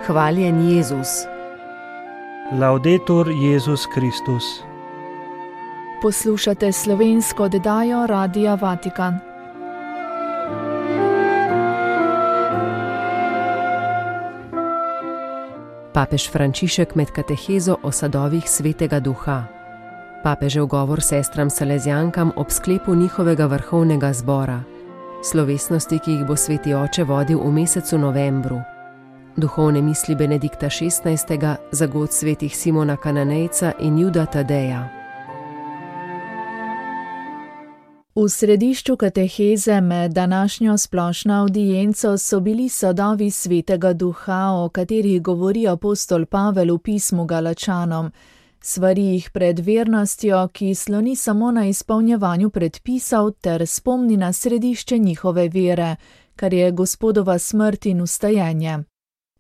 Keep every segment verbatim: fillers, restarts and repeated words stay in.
Hvaljen Jezus. Laudetur Jezus Kristus. Poslušate slovensko oddajo Radia Vatikan. Papež Frančišek med katehezo o sadovih Svetega Duha. Papežev govor sestram Salezijankam ob sklepu njihovega vrhovnega zbora. Slovesnosti, ki jih bo Sveti Oče vodil v mesecu novembru. Duhovne misli Benedikta šestnajstega, zagod svetih Simona Kananejca in Juda Tadeja. V središču kateheze med današnjo splošno avdienco so bili sadovi Svetega Duha, o katerih govori apostol Pavel v pismu Galačanom. Svari jih pred vernostjo, ki sloni samo na izpolnjevanju predpisov ter spomni na središče njihove vere, kar je Gospodova smrt in vstajenje.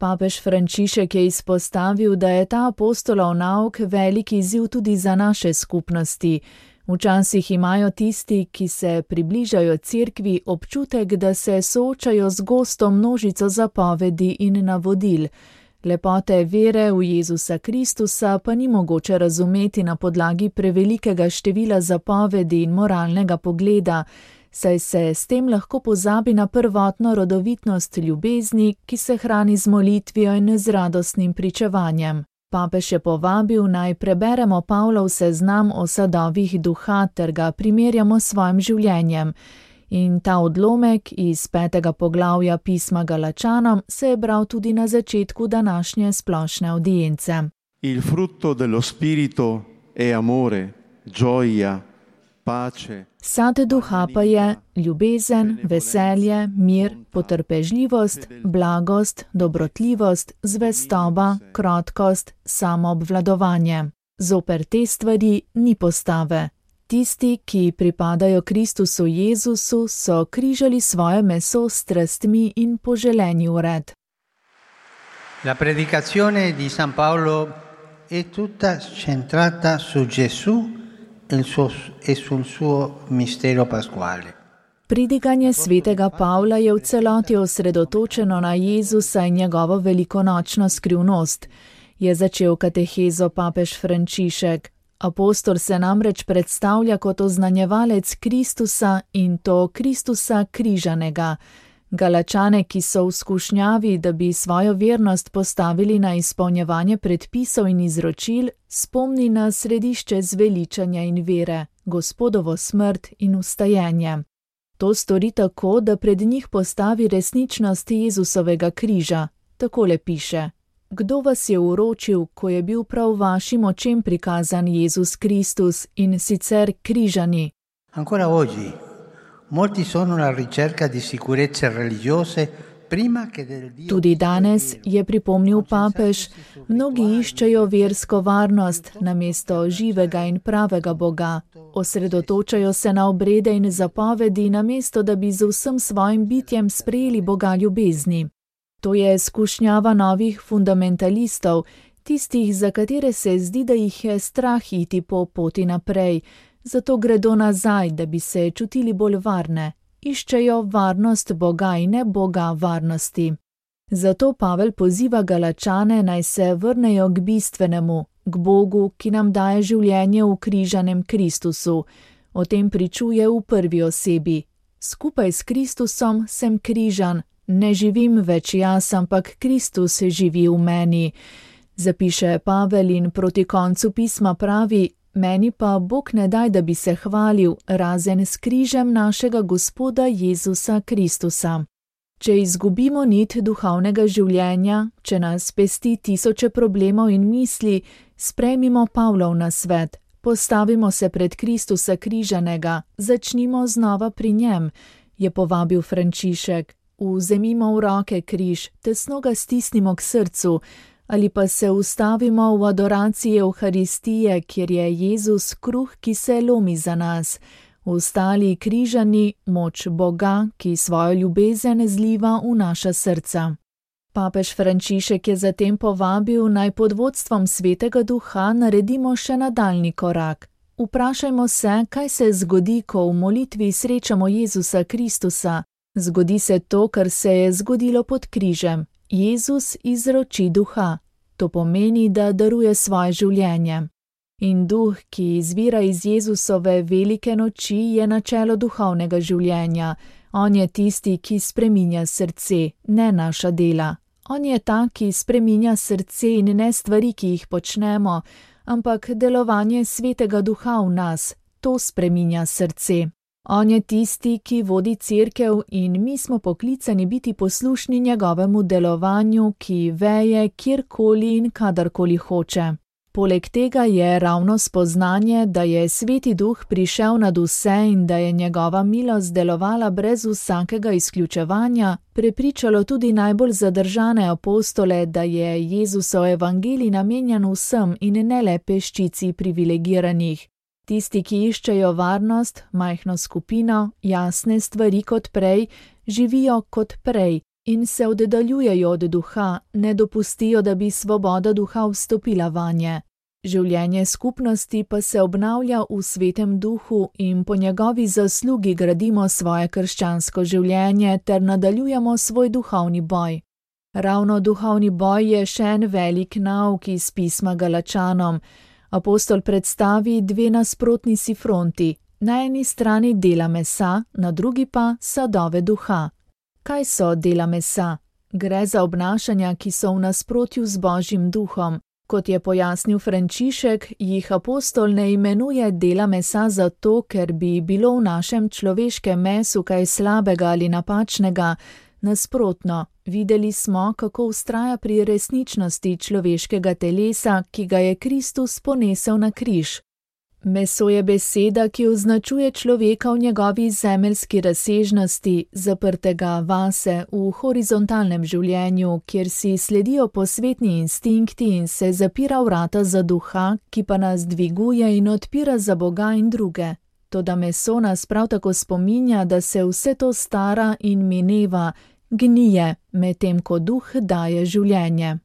Papež Frančišek je izpostavil, da je ta apostolov nauk velik izziv tudi za naše skupnosti. Včasih imajo tisti, ki se približajo cerkvi, občutek, da se soočajo z gosto množico zapovedi in navodil. Lepote vere v Jezusa Kristusa pa ni mogoče razumeti na podlagi prevelikega števila zapovedi in moralnega pogleda, saj se s tem lahko pozabi na prvotno rodovitnost ljubezni, ki se hrani z molitvijo in z radostnim pričevanjem. Papež je povabil, naj preberemo Pavlov seznam o sadovih duha ter ga primerjamo s svojim življenjem. In ta odlomek iz petega poglavja pisma Galačanom se je bral tudi na začetku današnje splošne avdience. Il frutto dello spirito è amore, gioia, pace. Sad duha pa je ljubezen, veselje, mir, potrpežljivost, blagost, dobrotljivost, zvestoba, krotkost, samoobvladovanje. Zoper te stvari ni postave. Tisti, ki pripadajo Kristusu Jezusu, so križali svoje meso s strastmi in poželeni ured. La predicazione di San Paolo è tutta centrata su Gesù e sul suo mistero pasquale. Pridiganje svetega Pavla je v celoti osredotočeno na Jezusa in njegovo velikonočno skrivnost, je začel katehezo papež Frančišek. Apostol se namreč predstavlja kot oznanjevalec Kristusa in to Kristusa križanega. Galačane, ki so v skušnjavi, da bi svojo vernost postavili na izpolnjevanje predpisov in izročil, spomni na središče zveličanja in vere, Gospodovo smrt in vstajenje. To stori tako, da pred njih postavi resničnost Jezusovega križa. Takole piše: Kdo vas je uročil, ko je bil prav vašim očem prikazan Jezus Kristus in sicer križani? Ancora oggi, molti sono alla ricerca di sicurezze religiose prima che del Dio. Tudi danes, je pripomnil papež, mnogi iščejo versko varnost namesto živega in pravega Boga. Osredotočajo se na obrede in zapovedi, namesto da bi z vsem svojim bitjem sprejeli Boga ljubezni. To je skušnjava novih fundamentalistov, tistih, za katere se zdi, da jih je strah iti po poti naprej, zato gredo nazaj, da bi se čutili bolj varne. Iščejo varnost Boga in ne Boga varnosti. Zato Pavel poziva Galačane, naj se vrnejo k bistvenemu, k Bogu, ki nam daje življenje v križanem Kristusu. O tem pričuje v prvi osebi. Skupaj s Kristusom sem križan. Ne živim več jaz, ampak Kristus živi v meni. Zapiše Pavel in proti koncu pisma pravi: Meni pa Bog ne daj, da bi se hvalil, razen s križem našega Gospoda Jezusa Kristusa. Če izgubimo nit duhovnega življenja, če nas pesti tisoče problemov in misli, sprejmimo Pavlov nasvet. Postavimo se pred Kristusa križanega, začnimo znova pri njem, je povabil Frančišek. Vzemimo v roke križ, tesno ga stisnimo k srcu, ali pa se ustavimo v adoraciji Evharistije, kjer je Jezus kruh, ki se lomi za nas. Vstali križani, moč Boga, ki svojo ljubezen zliva v naša srca. Papež Frančišek je zatem povabil, naj pod vodstvom Svetega Duha naredimo še nadaljni korak. Vprašajmo se, kaj se zgodi, ko v molitvi srečamo Jezusa Kristusa. Zgodi se to, kar se je zgodilo pod križem. Jezus izroči duha. To pomeni, da daruje svoje življenje. In duh, ki izvira iz Jezusove velike noči, je načelo duhovnega življenja. On je tisti, ki spreminja srce, ne naša dela. On je ta, ki spreminja srce in ne stvari, ki jih počnemo, ampak delovanje svetega duha v nas, to spreminja srce. On je tisti, ki vodi cerkev in mi smo poklicani biti poslušni njegovemu delovanju, ki veje kjerkoli in kadarkoli hoče. Poleg tega je ravno spoznanje, da je Sveti Duh prišel nad vse in da je njegova milost delovala brez vsakega izključevanja, prepričalo tudi najbolj zadržane apostole, da je Jezusov evangelij namenjen vsem in ne le peščici privilegiranih. Tisti, ki iščejo varnost, majhno skupino, jasne stvari kot prej, živijo kot prej in se oddaljujejo od duha, ne dopustijo, da bi svoboda duha vstopila vanje. Življenje skupnosti pa se obnavlja v Svetem Duhu in po njegovi zaslugi gradimo svoje krščansko življenje ter nadaljujemo svoj duhovni boj. Ravno duhovni boj je še en velik nauk iz pisma Galačanom. Apostol predstavi dve nasprotni si fronti, na eni strani dela mesa, na drugi pa sadove duha. Kaj so dela mesa? Gre za obnašanja, ki so v nasprotju z Božjim duhom. Kot je pojasnil Frančišek, jih apostol ne imenuje dela mesa zato, ker bi bilo v našem človeškem mesu kaj slabega ali napačnega. Nasprotno, videli smo, kako vztraja pri resničnosti človeškega telesa, ki ga je Kristus ponesel na križ. Meso je beseda, ki označuje človeka v njegovi zemeljski razsežnosti, zaprtega vase v horizontalnem življenju, kjer si sledijo posvetni instinkti in se zapira vrata za duha, ki pa nas dviguje in odpira za Boga in druge. Toda meso nas prav tako spominja, da se vse to stara in mineva, gnije, medtem ko duh daje življenje.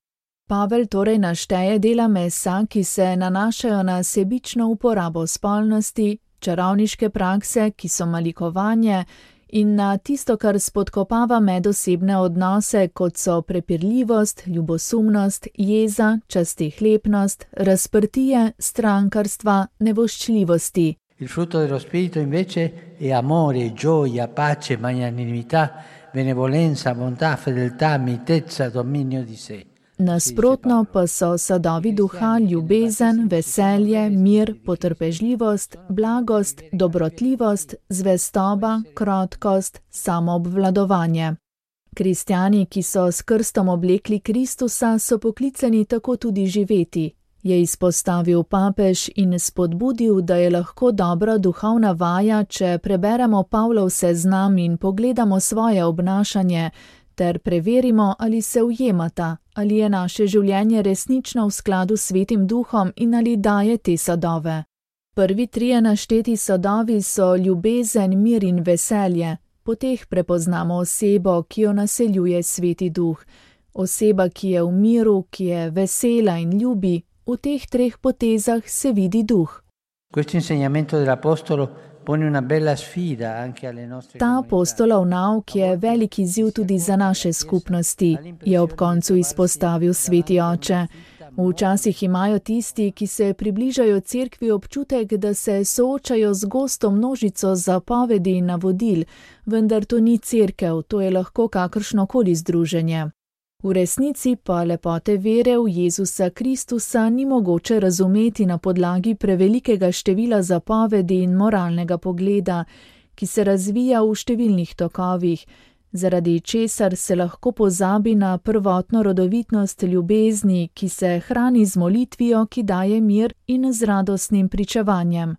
Pavel torej našteje dela mesa, ki se nanašajo na sebično uporabo spolnosti, čarovniške prakse, ki so malikovanje, in na tisto, kar spodkopava medosebne odnose, kot so prepirljivost, ljubosumnost, jeza, častihlepnost, razprtije, strankarstva, nevoščljivosti. Il frutto dello spirito invece è amore, gioia, pace, magnanimità, benevolenza, bontà, fedeltà, mitezza, dominio di sé. Nasprotno pa so sadovi duha ljubezen, veselje, mir, potrpežljivost, blagost, dobrotljivost, zvestoba, krotkost, samoobvladovanje. Kristjani, ki so s krstom oblekli Kristusa, so poklicani tako tudi živeti, je izpostavil papež in spodbudil, da je lahko dobra duhovna vaja, če preberemo Pavlov seznam in pogledamo svoje obnašanje, ter preverimo, ali se ujemata, ali je naše življenje resnično v skladu s Svetim Duhom in ali daje te sadove. Prvi trije našteti sadovi so ljubezen, mir in veselje. Po teh prepoznamo osebo, ki jo naseljuje Sveti Duh. Oseba, ki je v miru, ki je vesela in ljubi, v teh treh potezah se vidi duh. Questo insegnamento dell'apostolo pone una bella sfida anche alle nostre Ta apostolov nauk je velik izziv tudi za naše skupnosti, je ob koncu izpostavil Sveti oče. Včasih imajo tisti, ki se približajo cerkvi, občutek, da se soočajo z gosto množico zapovedi in navodil, vendar to ni cerkev, to je lahko kakršnokoli združenje. V resnici pa lepote vere v Jezusa Kristusa ni mogoče razumeti na podlagi prevelikega števila zapovedi in moralnega pogleda, ki se razvija v številnih tokovih, zaradi česar se lahko pozabi na prvotno rodovitnost ljubezni, ki se hrani z molitvijo, ki daje mir, in z radostnim pričevanjem.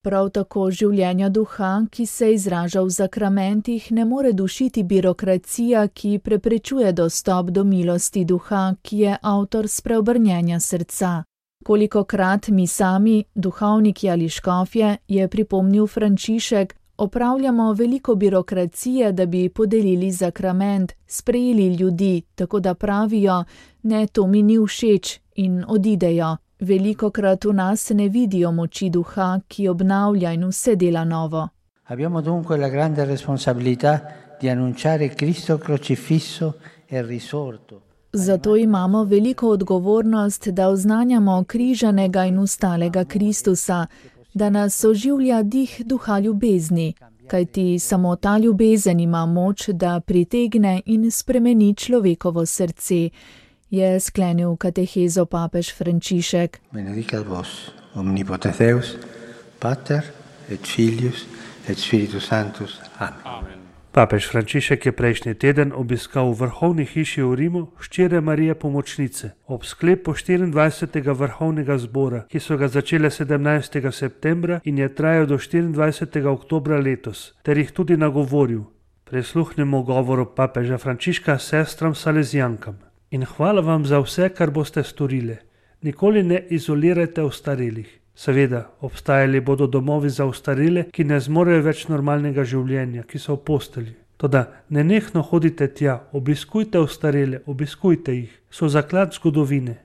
Prav tako življenja duha, ki se izraža v zakramentih, ne more dušiti birokracija, ki preprečuje dostop do milosti duha, ki je avtor spreobrnjenja srca. Kolikokrat mi sami, duhovniki ali škofje, je pripomnil Frančišek, opravljamo veliko birokracije, da bi podelili zakrament, sprejeli ljudi, tako da pravijo, ne, to mi ni všeč, in odidejo. Velikokrat v nas ne vidijo moči duha, ki obnavlja in vse dela novo. Abbiamo dunque la grande responsabilità di annunciare Cristo crocifisso e risorto. Zato imamo veliko odgovornost, da oznanjamo križanega in ustalega Kristusa, da nas oživlja dih duha ljubezni, kajti samo ta ljubezen ima moč, da pritegne in spremeni človekovo srce, je sklenil katehezo papež Frančišek. Benedicat vos, omnipotens Deus, Pater et Filius et Spiritus Sanctus. Amen. Papež Frančišek je prejšnji teden obiskal v vrhovni hiši v Rimu hčere Marije Pomočnice ob sklepu štiriindvajsetega vrhovnega zbora, ki so ga začele sedemnajstega septembra in je trajal do štiriindvajsetega oktobra letos, ter jih tudi nagovoril. Prisluhnimo govoru papeža Frančiška sestram Salezijankam. In hvala vam za vse, kar boste storili. Nikoli ne izolirajte ostarelih. Seveda, obstajali bodo domovi za ostarele, ki ne zmorejo več normalnega življenja, ki so v postelji. Toda nenehno hodite tja, obiskujte ostarele, obiskujte jih. So zaklad zgodovine.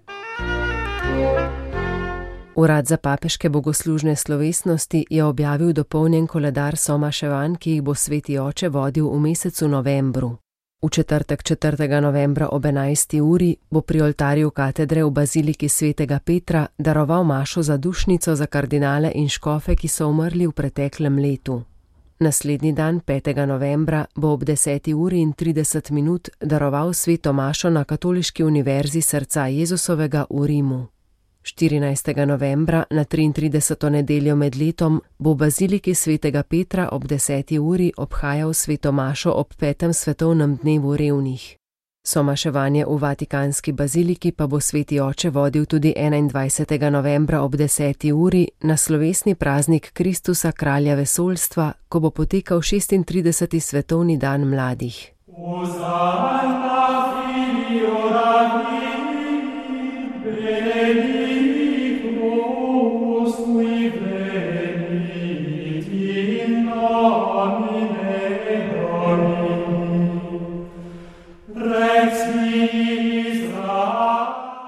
Urad za papeške bogoslužne slovesnosti je objavil dopolnjen koledar somaševanj, ki jih bo sveti oče vodil v mesecu novembru. V četrtek četrtega novembra ob enajsti uri bo pri oltarju katedre v baziliki svetega Petra daroval mašo za dušnico za kardinale in škofe, ki so umrli v preteklem letu. Naslednji dan, petega novembra, bo ob deseti uri in trideset minut daroval sveto mašo na Katoliški univerzi srca Jezusovega v Rimu. štirinajstega novembra na triintrideseto nedeljo med letom bo v baziliki svetega Petra ob deseti uri obhajal sveto mašo ob petem svetovnem dnevu revnih. Somaševanje v Vatikanski baziliki pa bo sveti oče vodil tudi enaindvajsetega novembra ob deseti uri na slovesni praznik Kristusa kralja vesoljstva, ko bo potekal šestintrideseti svetovni dan mladih.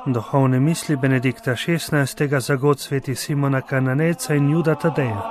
Duhovne misli Benedikta šestnajstega za god sveti Simona Kananejca in Juda Tadeja.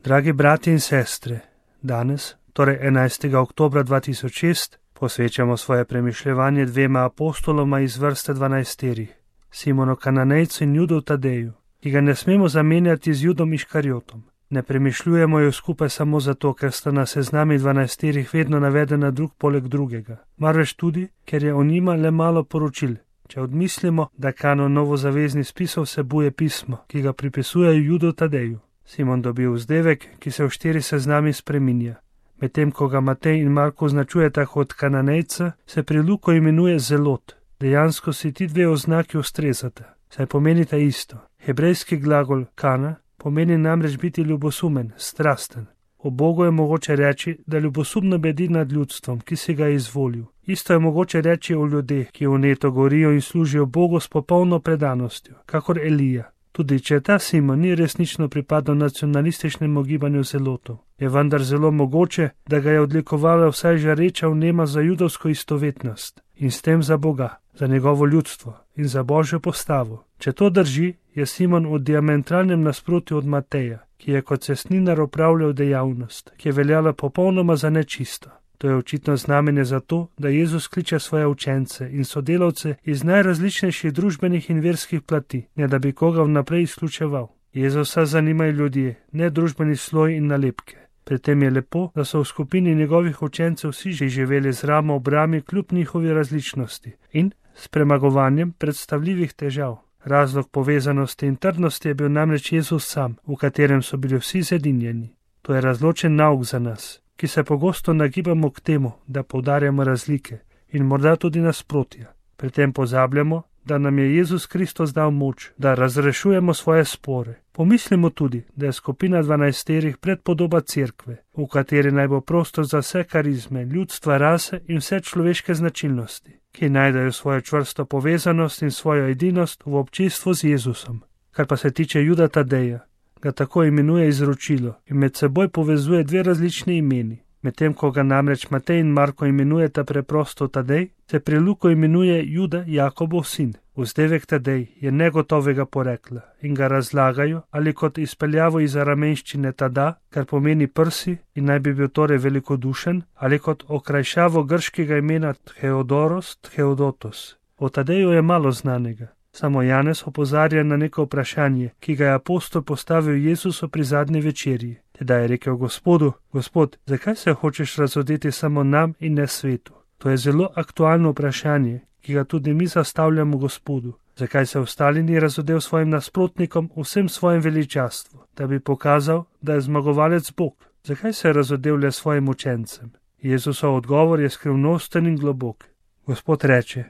Dragi brati in sestre, danes, torej enajstega oktobra dva tisoč šest, posvečamo svoje premišljevanje dvema apostoloma iz vrste dvanajsterih, Simonu Kananejcu in Judu Tadeju, ki ga ne smemo zamenjati z Judom Iškarjotom. Ne premišljujemo jo skupaj samo zato, ker sta na seznami dvanajsterih vedno navedena drug poleg drugega, marveč tudi, ker je o njima le malo poročil. Če odmislimo, da kanon novozaveznih spisov vsebuje pismo, ki ga pripisujejo Judu Tadeju. Simon dobi vzdevek, ki se v štiri seznami spreminja. Medtem ko ga Matej in Marko označujeta kot Kananejca, se pri Luku imenuje Zelot. Dejansko si ti dve oznaki ustrezata, saj pomenita isto. Hebrejski glagol kana pomeni namreč biti ljubosumen, strasten. O Bogu je mogoče reči, da ljubosumno bedi nad ljudstvom, ki si ga je izvolil. Isto je mogoče reči o ljudeh, ki vneto gorijo in služijo Bogu s popolno predanostjo, kakor Elija. Tudi če ta Simon ni resnično pripadal nacionalističnemu gibanju zelotov, je vendar zelo mogoče, da ga je odlikovala vsaj žareča vnema za judovsko istovetnost in s tem za Boga, za njegovo ljudstvo in za Božjo postavo. Če to drži, je Simon v diametralnem nasprotju od Mateja, ki je kot cestninar opravljal dejavnost, ki je veljala popolnoma za nečisto. To je očitno znamenje za to, da Jezus kliče svoje učence in sodelavce iz najrazličnejših družbenih in verskih plati, ne da bi koga vnaprej izključeval. Jezusa zanimajo ljudje, ne družbeni sloj in nalepke. Pri tem je lepo, da so v skupini njegovih učencev vsi že živeli z ramo ob rami kljub njihovi različnosti in s premagovanjem predstavljivih težav. Razlog povezanosti in trdnosti je bil namreč Jezus sam, v katerem so bili vsi zedinjeni. To je razločen nauk za nas, ki se pogosto nagibamo k temu, da poudarjamo razlike in morda tudi nasprotja. Pri tem pozabljamo, da nam je Jezus Kristus dal moč, da razrešujemo svoje spore. Pomislimo tudi, da je skupina dvanajsterih predpodoba cerkve, v kateri naj bo prostor za vse karizme, ljudstva, rase in vse človeške značilnosti, ki najdejo svojo čvrsto povezanost in svojo edinost v občestvu z Jezusom. Kar pa se tiče Juda Tadeja, ga tako imenuje izročilo in med seboj povezuje dve različni imeni. Medtem ko ga namreč Matej in Marko imenujeta preprosto Tadej, se pri Luku imenuje Juda Jakobov sin. Vzdevek Tadej je negotovega porekla in ga razlagajo ali kot izpeljavo iz aramenščine tada, kar pomeni prsi in naj bi bil torej velikodušen, ali kot okrajšavo grškega imena Theodoros, Theodotos. O Tadeju je malo znanega. Samo Janez opozarja na neko vprašanje, ki ga je apostol postavil Jezusu pri zadnji večerji. Tedaj je rekel Gospodu: Gospod, zakaj se hočeš razodeti samo nam in ne svetu? To je zelo aktualno vprašanje, ki ga tudi mi zastavljamo Gospodu. Zakaj se ostali ni razodel svojim nasprotnikom vsem svojim veličastvu, da bi pokazal, da je zmagovalec Bog? Zakaj se je razodel le svojim učencem? Jezusov odgovor je skrivnosten in globok. Gospod reče: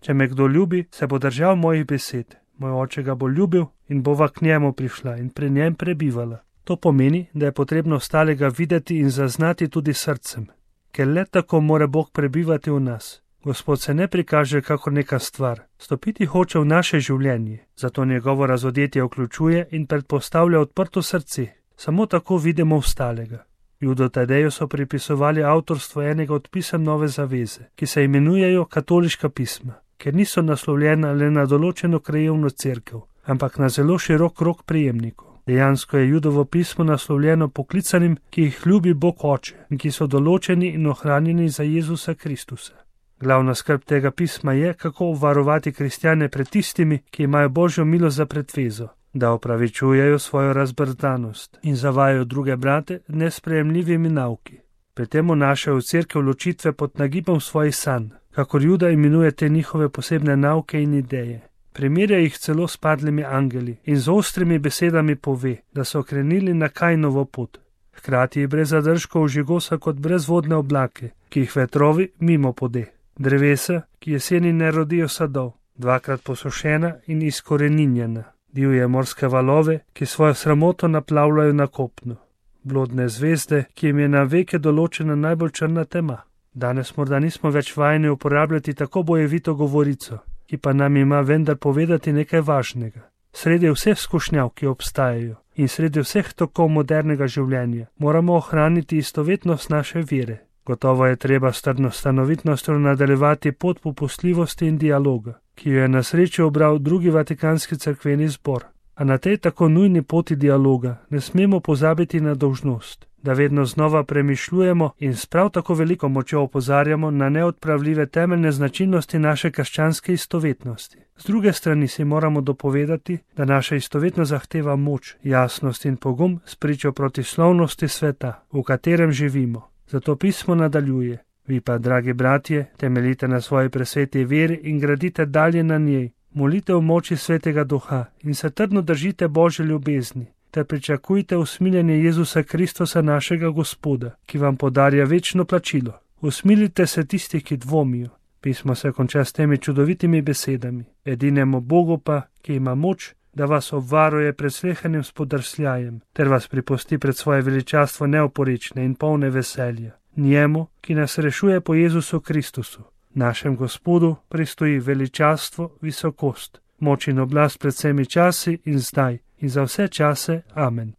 Če me kdo ljubi, se bo držal mojih besed. Moj oče ga bo ljubil in bova k njemu prišla in pri njem prebivala. To pomeni, da je potrebno ostalega videti in zaznati tudi srcem, ker le tako mora Bog prebivati v nas. Gospod se ne prikaže kakor neka stvar, stopiti hoče v naše življenje, zato njegovo razodetje vključuje in predpostavlja odprto srce. Samo tako vidimo ostalega. Judo Tadeju so pripisovali avtorstvo enega od pisem Nove zaveze, ki se imenujejo katoliška pisma, ker niso naslovljena le na določeno krajevno cerkev, ampak na zelo širok krog prejemnikov. Dejansko je Judovo pismo naslovljeno poklicanim, ki jih ljubi Bog Oče in ki so določeni in ohranjeni za Jezusa Kristusa. Glavna skrb tega pisma je, kako obvarovati kristjane pred tistimi, ki imajo Božjo milost za pretvezo, da opravičujejo svojo razbrzdanost in zavajajo druge brate nesprejemljivimi nauki. Pri tem vnašajo v cerkev ločitve pod nagibom svojih sanj, kakor Juda imenuje te njihove posebne nauke in ideje. Primerja jih celo s padlimi angeli in z ostrimi besedami pove, da so krenili na Kainovo pot. Hkrati je brez zadržkov žigosa kot brezvodne oblake, ki jih vetrovi mimo pode. Drevesa, ki jeseni ne rodijo sadov, dvakrat posušena in izkoreninjena. Divje morske valove, ki svojo sramoto naplavljajo na kopno. Blodne zvezde, ki jim je na veke določena najbolj črna tema. Danes morda nismo več vajeni uporabljati tako bojevito govorico, ki pa nam ima vendar povedati nekaj važnega. Sredi vseh skušnjav, ki obstajajo, in sredi vseh tokov modernega življenja, moramo ohraniti istovetnost naše vere. Gotovo je treba s trdno stanovitnostjo nadaljevati pot popustljivosti in dialoga, ki jo je na srečo obral drugi vatikanski cerkveni zbor. A na tej tako nujni poti dialoga ne smemo pozabiti na dolžnost, da vedno znova premišljujemo in s prav tako veliko močjo opozarjamo na neodpravljive temeljne značilnosti naše krščanske istovetnosti. Z druge strani si moramo dopovedati, da naša istovetnost zahteva moč, jasnost in pogum spričo protislovnosti sveta, v katerem živimo. Zato pismo nadaljuje: Vi pa, dragi bratje, temeljite na svoji presveti veri in gradite dalje na njej. Molite v moči Svetega Duha in se trdno držite Božje ljubezni, ter pričakujte usmiljenje Jezusa Kristusa našega Gospoda, ki vam podarja večno plačilo. Usmilite se tistih, ki dvomijo. Pismo se konča s temi čudovitimi besedami: Edinemu Bogu pa, ki ima moč, da vas obvaruje pred slehernim spodrsljajem, ter vas pripusti pred svoje veličastvo neoporečne in polne veselja. Njemu, ki nas rešuje po Jezusu Kristusu, našem Gospodu, pristoji veličastvo, visokost, moč in oblast pred vsemi časi in zdaj in za vse čase. Amen.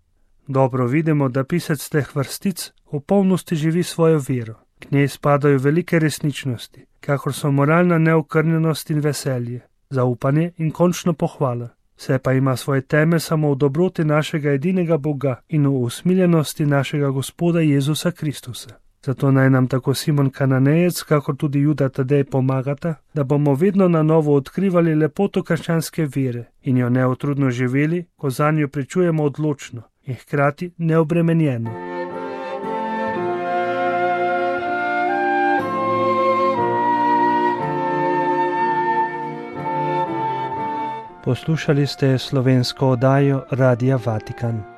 Dobro vidimo, da pisec teh vrstic v polnosti živi svojo vero. K njej spadajo velike resničnosti, kakor so moralna neokrnjenost in veselje, zaupanje in končno pohvala. Vse pa ima svoj temelj samo v dobroti našega edinega Boga in v usmiljenosti našega Gospoda Jezusa Kristusa. Zato naj nam tako Simon Kananejec, kakor tudi Juda Tadej pomagata, da bomo vedno na novo odkrivali lepoto krščanske vere in jo neutrudno živeli, ko zanjo pričujemo odločno in hkrati neobremenjeno. Poslušali ste slovensko oddajo Radia Vatikan.